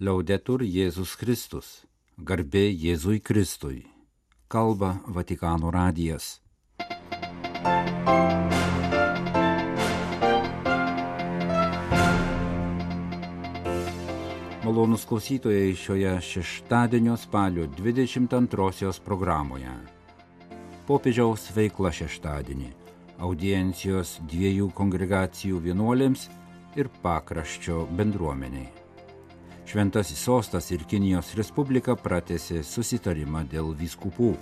Liaudetur Jėzus Kristus. Garbė Jėzui Kristui. Kalba Vatikano radijas. Malonūs klausytojai šioje šeštadienio spalio 22 programoje. Popiežiaus veikla šeštadienį. Audiencijos dviejų kongregacijų vienuolėms ir pakraščio bendruomeniai. Šventasis sostas ir Kinijos Respublika pratęsė susitarimą dėl vyskupų.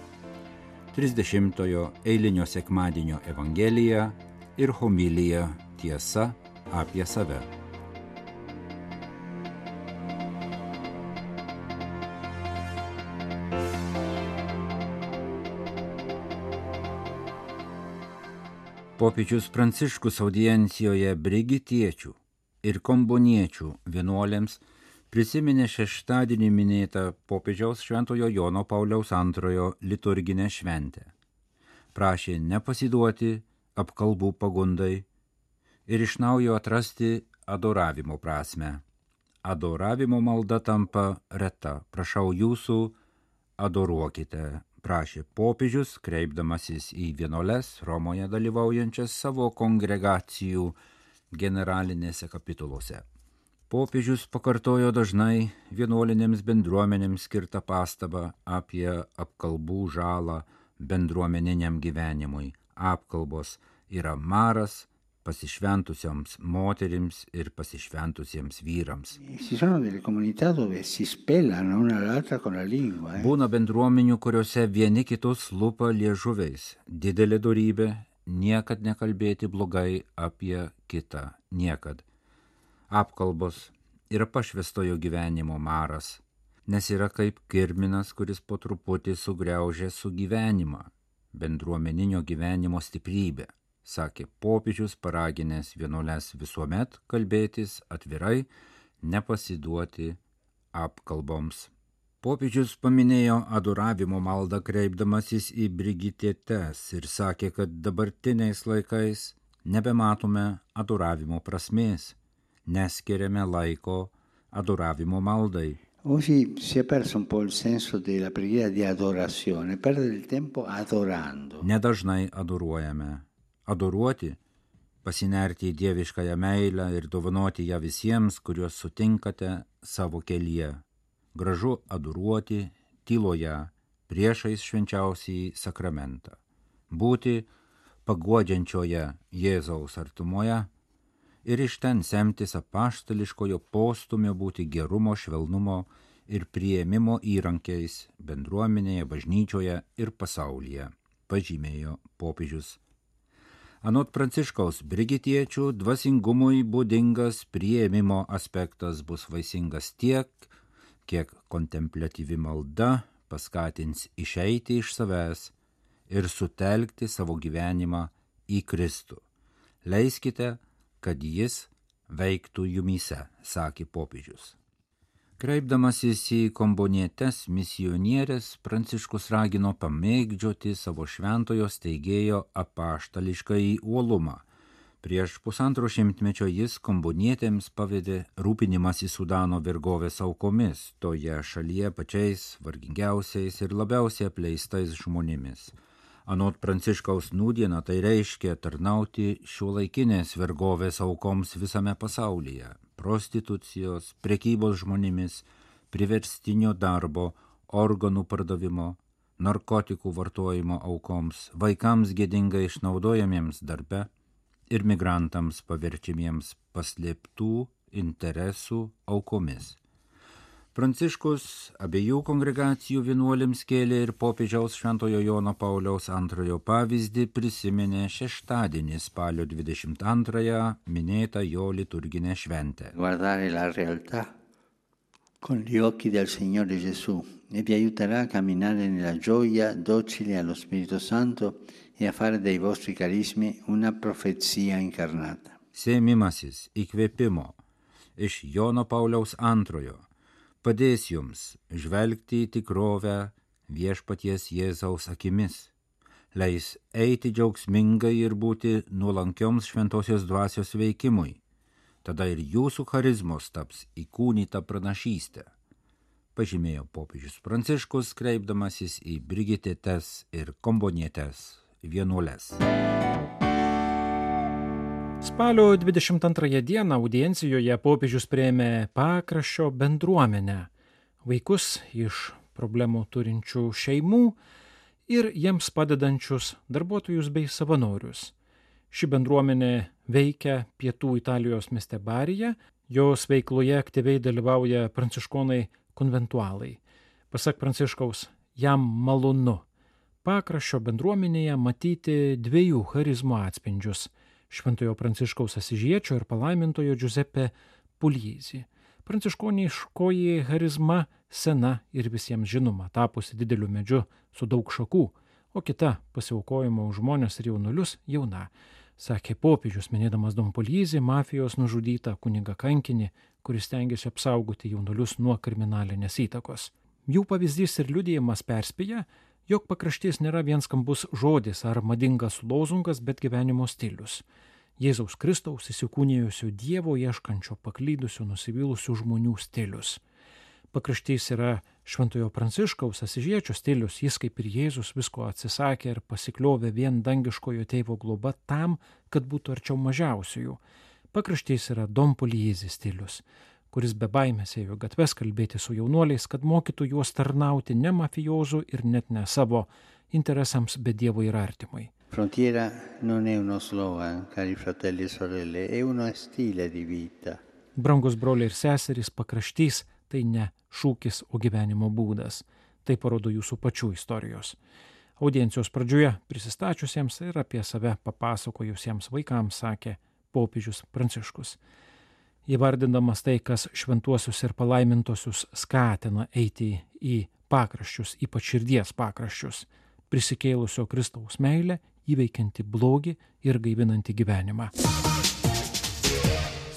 30-ojo eilinio sekmadienio evangelija ir homilija Tiesa apie save. Popiežius Pranciškus audiencijoje brigitiečių ir komboniečių vienuolėms prisiminė šeštadienį minėtą popiežiaus Šventojo Jono Pauliaus II liturginę šventę. Prašė nepasiduoti apkalbų pagundai ir iš naujo atrasti adoravimo prasmę. Adoravimo malda tampa reta. Prašau jūsų, adoruokite, prašė popiežius, kreipdamasis į vienuoles Romoje dalyvaujančias savo kongregacijų generalinėse kapituluose. Popiežius pakartojo dažnai vienuolinėms bendruomenėms skirtą pastabą apie apkalbų žalą bendruomeniniam gyvenimui. Apkalbos yra maras pasišventusioms moterims ir pasišventusiems vyrams. Būna bendruomenių, kuriuose vieni kitus lupa liežuviais. Didelė dorybė niekad nekalbėti blogai apie kitą. Niekad. Apkalbos yra pašvęstojo gyvenimo maras, nes yra kaip kirminas, kuris po truputį sugriaužia sugyvenimą, bendruomeninio gyvenimo stiprybę, sakė popiežius, paraginęs vienuoles visuomet kalbėtis atvirai, nepasiduoti apkalboms. Popiežius paminėjo adoravimo maldą kreipdamasis į brigitietes ir sakė, kad dabartiniais laikais nebematome adoravimo prasmės. Neskiriame laiko adoravimo maldai. Oggi si è perso un po' il senso della preghiera di adorazione, perdere il tempo adorando. Nedažnai adoruojame. Adoruoti, pasinerti į dieviškąją meilę ir dovanoti ją visiems, kuriuos sutinkate savo kelyje. Gražu adoruoti tyloje, priešais švenčiausiąjį sakramentą. Būti paguodžiančioje Jėzaus artumoje ir iš ten semtis apaštališkojo postumio būti gerumo, švelnumo ir priėmimo įrankiais bendruomenėje, bažnyčioje ir pasaulyje, pažymėjo popiežius. Anot Pranciškaus brigitiečių dvasingumui būdingas priėmimo aspektas bus vaisingas tiek, kiek kontempliatyvi malda paskatins išeiti iš savęs ir sutelkti savo gyvenimą į Kristų. Leiskite, kad jis veiktų jumyse, sakė popiežius. Kreipdamasis į kombonietes misionierės, Pranciškus ragino pamėgdžioti savo šventojo steigėjo apaštališkąjį uolumą. Prieš 1,5 šimtmečio jis kombonietėms pavedė rūpinimąsi Sudano vergovės aukomis, toje šalyje pačiais vargingiausiais ir labiausiai apleistais žmonėmis. Anot Pranciškaus nūdieną tai reiškia tarnauti šiuolaikinės vergovės aukoms visame pasaulyje, prostitucijos, prekybos žmonėmis, priverstinio darbo, organų pardavimo, narkotikų vartojimo aukoms, vaikams gėdingai išnaudojamiems darbe ir migrantams paverčiamiems paslėptų interesų aukomis. Pranciškus abiejų kongregacijų vienuolėms kėlė ir popiežiaus Šventojo Jono Pauliaus II pavyzdį prisiminė šeštadienį spalio 22 minėtą jo liturginę šventę. Guardare la realtà con gli occhi del Signore Gesù e vi aiuterà a camminare nella gioia docile allo Spirito Santo e a fare dei vostri carismi una profezia incarnata. Sėmimasis įkvėpimo iš Jono Pauliaus II padės jums žvelgti į tikrovę viešpaties Jėzaus akimis, leis eiti džiaugsmingai ir būti nuolankioms šventosios dvasios veikimui, tada ir jūsų charizmos taps įkūnyta pranašystė, pažymėjo popiežius Pranciškus, kreipdamasis į brigitėtes ir kombonietes vienuoles. Spalio 22 dieną audiencijoje popiežius priėmė Pakraščio bendruomenę, vaikus iš problemų turinčių šeimų ir jiems padedančius darbuotojus bei savanorius. Ši bendruomenė veikia pietų Italijos mieste Barija, jos veikloje aktyviai dalyvauja pranciškonai konventualai. Pasak Pranciškaus, jam malonu Pakraščio bendruomenėje matyti dviejų charizmų atspindžius – Šventojo Pranciškaus Asižiečio ir palaimintojo Giuseppe Pugliese. Pranciškoniškoji charizma sena ir visiems žinoma, tapusi dideliu medžiu su daug šakų, o kita pasiaukojimo už žmones ir jaunulius jauna, sakė popiežius, minėdamas Don Pugliese, mafijos nužudytą kunigą kankinį, kuris stengiasi apsaugoti jaunulius nuo kriminalinės įtakos. Jų pavyzdys ir liudijimas perspėja, jog pakraštys nėra vien skambus žodis ar madingas lozungas, bet gyvenimo stilius. Jėzaus Kristaus įsikūnijusio Dievo ieškančio paklydusių nusivylusių žmonių stilius. Pakraštys yra Šventojo Pranciškaus Asižiečio stilius, jis kaip ir Jėzus visko atsisakė ir pasikliovė vien dangiškojo tėvo globa tam, kad būtų arčiau mažiausiųjų. Pakraštys yra Don Pugliese stilius, kuris be baimės ėjo gatves kalbėti su jaunuoliais, kad mokytų juos tarnauti ne mafijozų ir net ne savo interesams, bet Dievui ir artimui. Frontiera non è uno slogan, cari fratelli e sorelle, è uno stile di vita. Brangus broliai ir seserys, pakraštys tai ne šūkis, o gyvenimo būdas. Tai parodo jūsų pačių istorijos. Audiencijos pradžioje prisistačiusiems ir apie save papasakojusiems vaikams sakė popiežius Pranciškus. Įvardindamas tai, kas šventuosius ir palaimintosius skatina eiti į pakraščius, ypač širdies pakraščius, prisikėlusio Kristaus meilę, įveikianti blogį ir gaivinanti gyvenimą.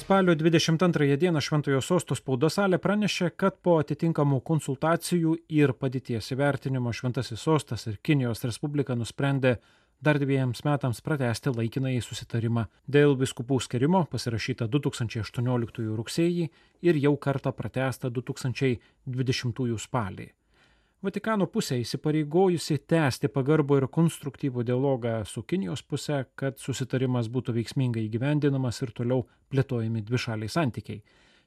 Spalio 22 dieną Šventojo Sosto spaudos salė pranešė, kad po atitinkamų konsultacijų ir padėties įvertinimo Šventasis Sostas ir Kinijos Respublika nusprendė dar 2 metams pratęsti laikinąjį susitarimą dėl vyskupų skyrimo, pasirašytą 2018 rugsėjį ir jau kartą pratęstą 2020 spalį. Vatikano pusė įsipareigojusi tęsti pagarbų ir konstruktyvų dialogą su Kinijos pusė, kad susitarimas būtų veiksmingai įgyvendinamas ir toliau plėtojami dvišaliai santykiai,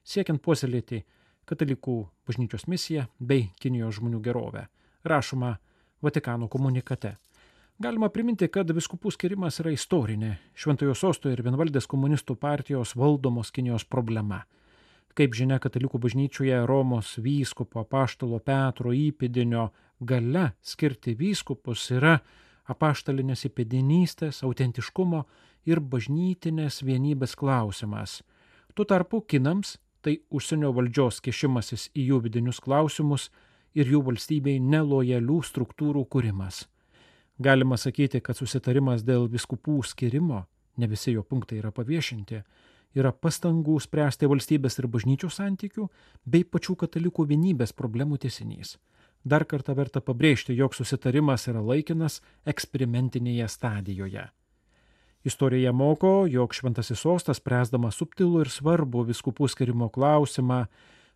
siekiant puoselėti katalikų bažnyčios misiją bei Kinijos žmonių gerovę, rašoma Vatikano komunikate. Galima priminti, kad vyskupų skirimas yra istorinė Šventojo Sosto ir vienvaldės komunistų partijos valdomos Kinijos problema. Kaip žinia, katalikų bažnyčioje Romos vyskupo apaštalo Petro įpėdinio galia skirti vyskupus yra apaštalinės įpėdinystės, autentiškumo ir bažnytinės vienybės klausimas. Tuo tarpu kinams tai užsienio valdžios kišimasis į jų vidinius klausimus ir jų valstybei nelojalių struktūrų kūrimas. Galima sakyti, kad susitarimas dėl vyskupų skirimo, ne visi jo punktai yra paviešinti, yra pastangų spręsti valstybės ir bažnyčių santykių bei pačių katalikų vienybės problemų tęsinys. Dar kartą verta pabrėžti, jog susitarimas yra laikinas eksperimentinėje stadijoje. Istorija moko, jog Šventasis Sostas, spręsdamas subtilų ir svarbų vyskupų skirimo klausimą,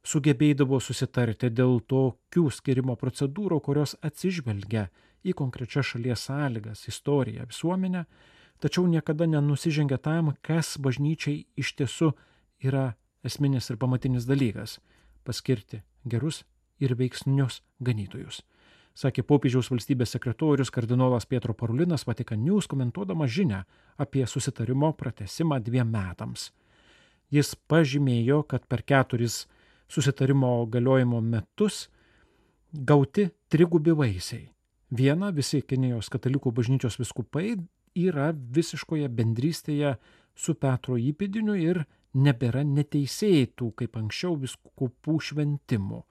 sugebėdavo susitarti dėl tokių skirimo procedūrų, kurios atsižvelgia į konkrečias šalies sąlygas, istoriją, visuomenę, tačiau niekada nenusižengia tam, kas bažnyčiai iš tiesų yra esminis ir pamatinis dalykas – paskirti gerus ir veiksnius ganytojus. Sakė popiežiaus valstybės sekretorius kardinolas Pietro Parolinas Vatican News, komentuodamas žinią apie susitarimo pratęsimą 2 metams. Jis pažymėjo, kad per 4 susitarimo galiojimo metus gauti 3 vaisiai. Viena, visi Kinijos katalikų bažnyčios vyskupai yra visiškoje bendrystėje su Petro įpėdiniu ir nebėra neteisėtų, kaip anksčiau, vyskupų šventimų.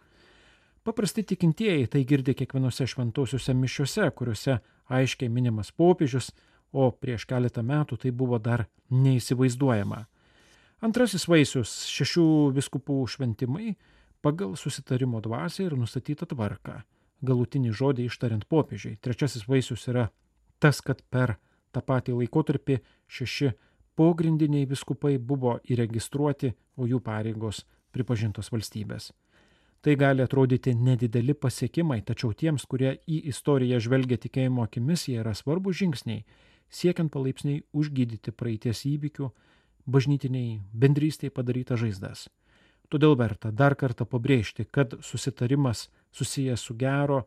Paprasti tikintieji tai girdi kiekvienose šventosiuose mišiuose, kuriuose aiškiai minimas popiežius, o prieš keletą metų tai buvo dar neįsivaizduojama. Antrasis vaisius – 6 vyskupų šventimai pagal susitarimo dvasią ir nustatytą tvarką, galutinį žodį ištariant popiežiui. Trečiasis vaisius yra tas, kad per tą patį laikotarpį 6 pogrindiniai vyskupai buvo įregistruoti, o jų pareigos pripažintos valstybės. Tai gali atrodyti nedideli pasiekimai, tačiau tiems, kurie į istoriją žvelgia tikėjimo akimis, jie yra svarbus žingsniai, siekiant palaipsniui užgydyti praeities įvykių, bažnytiniai bendrystėje padarytas žaizdas. Todėl verta dar kartą pabrėžti, kad susitarimas susijęs su gero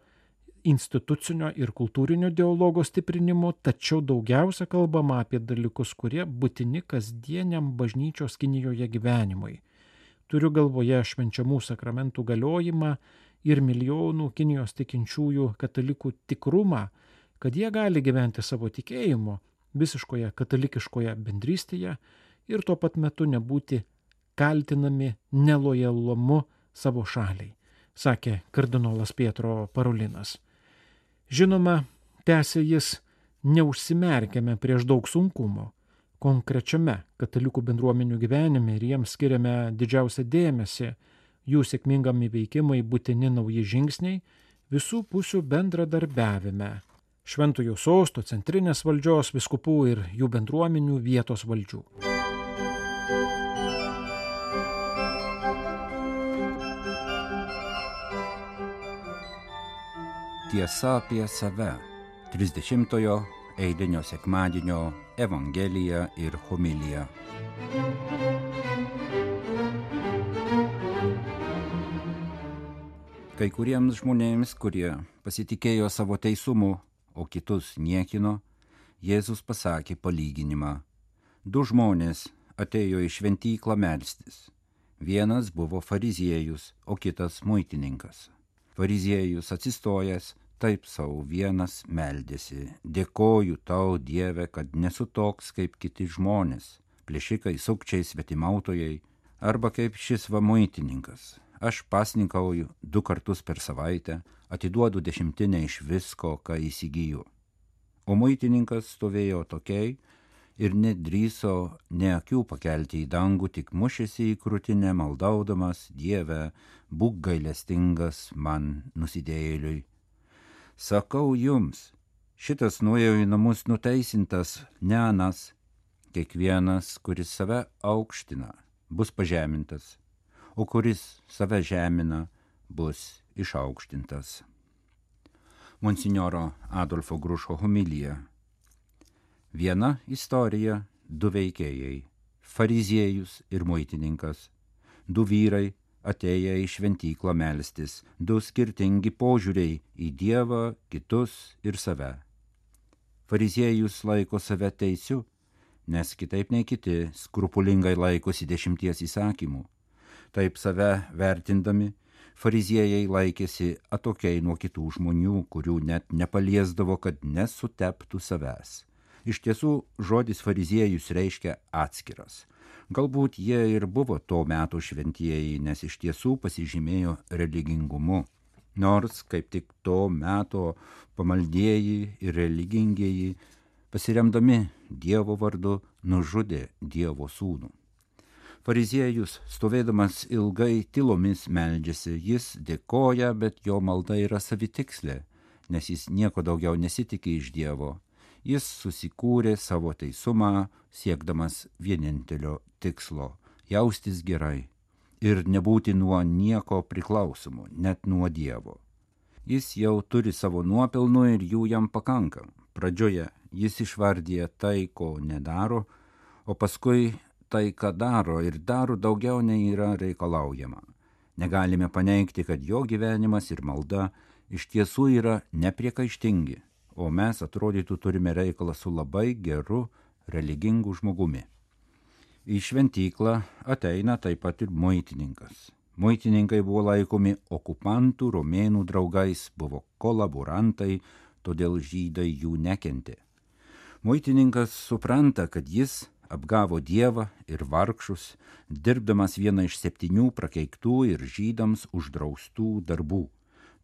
institucinio ir kultūrinio dialogo stiprinimu, tačiau daugiausia kalbama apie dalykus, kurie būtini kasdieniam bažnyčios Kinijoje gyvenimui. Turiu galvoje švenčiamų sakramentų galiojimą ir milijonų Kinijos tikinčiųjų katalikų tikrumą, kad jie gali gyventi savo tikėjimu visiškoje katalikiškoje bendrystėje ir tuo pat metu nebūti kaltinami nelojalumu savo šaliai, sakė kardinolas Pietro Parolinas. Žinoma, tęsė jis, neužsimerkėme prieš daug sunkumo. Konkrečiame katalikų bendruomenių gyvenime ir jiems skiriame didžiausią dėmesį, jų sėkmingam įveikimai būtini nauji žingsniai visų pusių bendradarbiavime. Šventojo sosto, centrinės valdžios, vyskupų ir jų bendruomenių vietos valdžių. Tiesa apie save. 30-ojo eilinio sekmadienio Evangelija ir homilija. Kai kuriems žmonėms, kurie pasitikėjo savo teisumu, o kitus niekino, Jėzus pasakė palyginimą. 2 žmonės atėjo į šventyklą melstis. Vienas buvo fariziejus, o kitas muitininkas. Fariziejus atsistojęs, taip sau vienas meldėsi: dėkoju tau, Dieve, kad nesu toks kaip kiti žmonės, plėšikai, sukčiai, svetimautojai, arba kaip šis va muitininkas. Aš pasninkauju 2 kartus per savaitę, atiduodu 10 iš visko, ką įsigyju. O muitininkas stovėjo tokiai ir nedrįso ne akių pakelti į dangų, tik mušėsi į krūtinę, maldaudamas: Dieve, būk gailestingas man nusidėjėliui. Sakau jums, šitas nuėjo į namus nuteisintas, ne anas. Kiekvienas, kuris save aukština, bus pažemintas, o kuris save žemina, bus išaukštintas. Monsinjoro Adolfo Grušo homilija. Viena istorija, 2 veikėjai – fariziejus ir muitininkas. 2 vyrai atėję į šventyklą melstis, 2 skirtingi požiūriai į Dievą, kitus ir save. Fariziejus laiko save teisiu, nes kitaip nei kiti skrupulingai laikosi 10 įsakymų. Taip save vertindami, fariziejai laikėsi atokiai nuo kitų žmonių, kurių net nepaliesdavo, kad nesuteptų savęs. Iš tiesų, žodis fariziejus reiškia atskiras. Galbūt jie ir buvo to meto šventieji, nes iš tiesų pasižymėjo religingumu. Nors kaip tik to meto pamaldieji ir religingieji, pasiremdami Dievo vardu, nužudė Dievo sūnų. Fariziejus, stovėdamas ilgai tylomis meldžiasi, jis dėkoja, bet jo malda yra savitikslė, nes jis nieko daugiau nesitikė iš Dievo. Jis susikūrė savo teisumą, siekdamas vienintelio tikslo – jaustis gerai ir nebūti nuo nieko priklausomų, net nuo Dievo. Jis jau turi savo nuopelnų ir jų jam pakanka. Pradžioje jis išvardė tai, ko nedaro, o paskui tai, ką daro ir daro daugiau nei yra reikalaujama. Negalime paneigti, kad jo gyvenimas ir malda iš tiesų yra nepriekaištingi, o mes atrodytų turime reikalą su labai geru, religingu žmogumi. Į šventyklą ateina taip pat ir muitininkas. Muitininkai buvo laikomi okupantų romėnų draugais, buvo kolaborantai, todėl žydai jų nekentė. Muitininkas supranta, kad jis apgavo Dievą ir vargšus, dirbdamas vieną iš 7 prakeiktų ir žydams uždraustų darbų.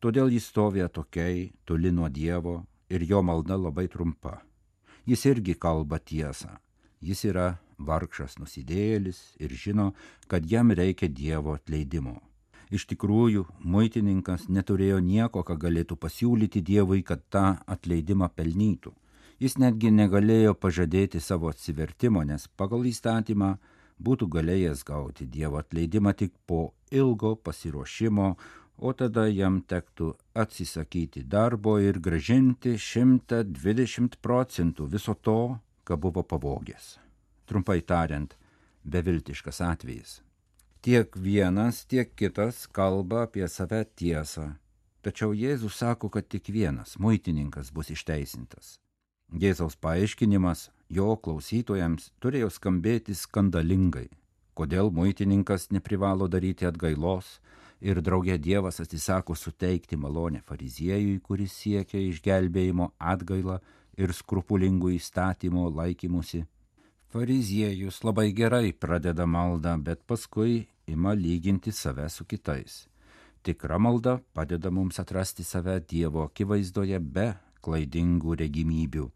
Todėl jis stovi atokiai, toli nuo Dievo, ir jo malda labai trumpa. Jis irgi kalba tiesą. Jis yra vargšas nusidėjėlis ir žino, kad jam reikia Dievo atleidimo. Iš tikrųjų, muitininkas neturėjo nieko, ką galėtų pasiūlyti Dievui, kad tą atleidimą pelnytų. Jis netgi negalėjo pažadėti savo atsivertimo, nes pagal įstatymą būtų galėjęs gauti Dievo atleidimą tik po ilgo pasiruošimo, o tada jam tektų atsisakyti darbo ir grąžinti 120% viso to, ką buvo pavogęs. Trumpai tariant, beviltiškas atvejis. Tiek vienas, tiek kitas kalba apie save tiesą. Tačiau Jėzus sako, kad tik vienas, muitininkas, bus išteisintas. Jėzaus paaiškinimas jo klausytojams turėjo skambėti skandalingai. Kodėl muitininkas neprivalo daryti atgailos ir draugė Dievas atsisako suteikti malonę fariziejui, kuris siekia išgelbėjimo atgailą ir skrupulingų įstatymo laikymusi. Fariziejus labai gerai pradeda maldą, bet paskui ima lyginti save su kitais. Tikra malda padeda mums atrasti save Dievo akivaizdoje be klaidingų regimybių.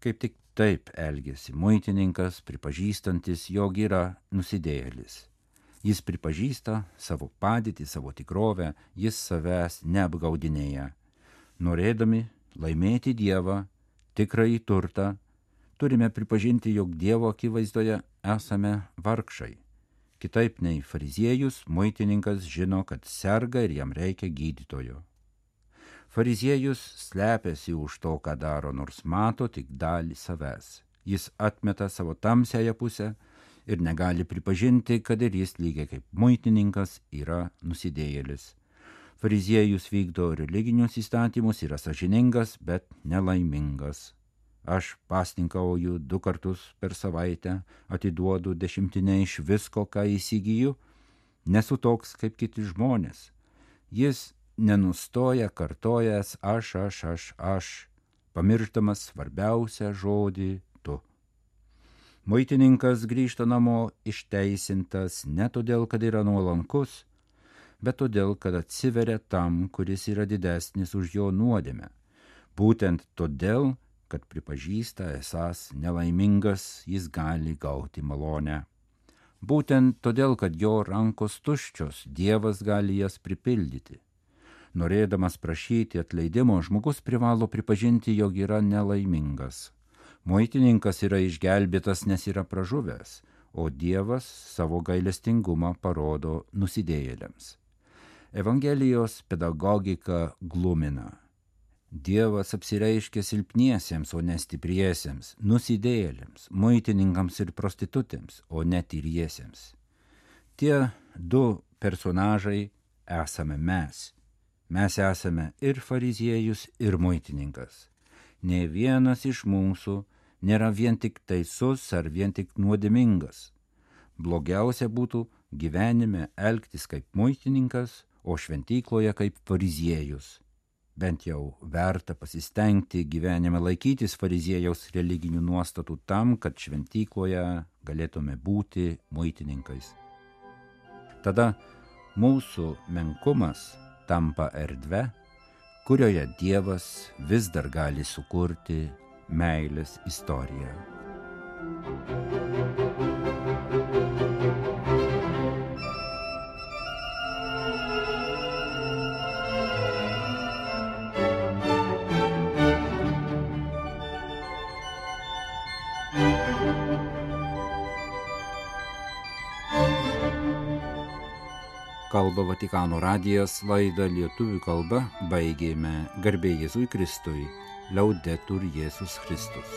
Kaip tik taip elgėsi muitininkas, pripažįstantis, jog yra nusidėjėlis. Jis pripažįsta savo padėtį, savo tikrovę, jis savęs neapgaudinėja. Norėdami laimėti Dievą, tikrąjį turtą, turime pripažinti, jog Dievo akivaizdoje esame vargšai. Kitaip nei fariziejus, muitininkas žino, kad serga ir jam reikia gydytojo. Fariziejus slepiasi už to, ką daro, nors mato tik dalį savęs. Jis atmeta savo tamsiąją pusę ir negali pripažinti, kad ir jis lygiai kaip muitininkas yra nusidėjėlis. Fariziejus vykdo religinius įstatymus, yra sąžiningas, bet nelaimingas. Aš pasninkauju 2 kartus per savaitę, atiduodu 10 iš visko, ką įsigyju, nesu toks kaip kiti žmonės. Jis nenustoja kartojęs aš, pamiršdamas svarbiausią žodį tu. Muitininkas grįžta namo išteisintas ne todėl, kad yra nuolankus, bet todėl, kad atsiveria tam, kuris yra didesnis už jo nuodėmę. Būtent todėl, kad pripažįsta esąs nelaimingas, jis gali gauti malonę. Būtent todėl, kad jo rankos tuščios, Dievas gali jas pripildyti. Norėdamas prašyti atleidimo, žmogus privalo pripažinti, jog yra nelaimingas. Muitininkas yra išgelbėtas, nes yra pražuvęs, o Dievas savo gailestingumą parodo nusidėjėliams. Evangelijos pedagogika glumina. Dievas apsireiškia silpniesiems, o ne stipriesiems, nusidėjėliams, muitininkams ir prostitutėms, o ne tyriesiems. Tie 2 personažai esame mes. Mes esame ir fariziejus, ir muitininkas. Nė vienas iš mūsų nėra vien tik teisus ar vien tik nuodėmingas. Blogiausia būtų gyvenime elgtis kaip muitininkas, o šventykloje kaip fariziejus. Bent jau verta pasistengti gyvenime laikytis fariziejaus religinių nuostatų tam, kad šventykloje galėtume būti muitininkais. Tada mūsų menkumas tampa erdve, kurioje Dievas vis dar gali sukurti meilės istoriją. Kalba Vatikano radijas, laidą lietuvių kalba baigėme. Garbė Jėzui Kristui, Laudetur Jėzus Kristus.